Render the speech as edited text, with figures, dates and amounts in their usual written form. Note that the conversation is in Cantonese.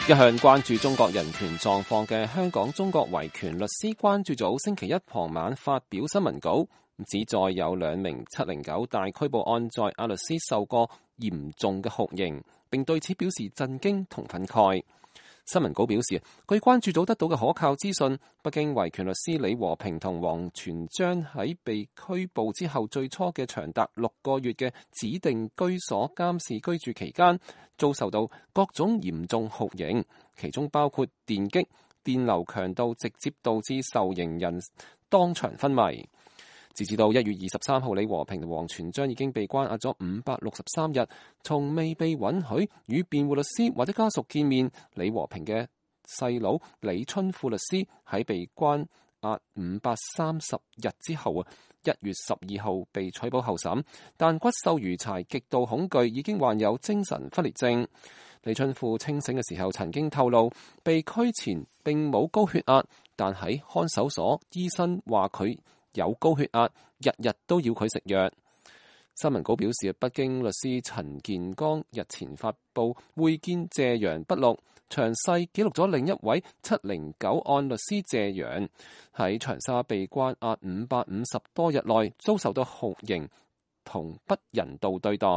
一向關注中國人權狀況嘅香港中國維權律師關注組星期一傍晚發表新聞稿，指再有2名709大拘捕案在阿律師受過嚴重嘅酷刑，並對此表示震驚同憤慨。新聞稿表示，據關注組得到嘅可靠資訊，北京維權律師李和平同王全璋喺被拘捕之後最初嘅長達6個月嘅指定居所監視居住期間，遭受到各種嚴重酷刑，其中包括電擊、電流強度，直接導致受刑人當場昏迷。截至到1月23號，李和平同王全璋已經被關押咗563日，從未被允許與辯護律師或者家屬見面。李和平嘅細佬李春富律師喺被關押530日之後1月12號被取保候審，但骨瘦如柴，極度恐懼，已經患有精神分裂症。李春富清醒嘅時候曾經透露，被拘前並冇高血壓，但喺看守所醫生話佢有高血壓，日日都要佢食藥。新聞稿表示，北京律師陳建剛日前發布會見謝陽筆錄，詳細記錄咗另一位709案律師謝陽喺長沙被關押550多日內遭受到酷刑同不人道對待。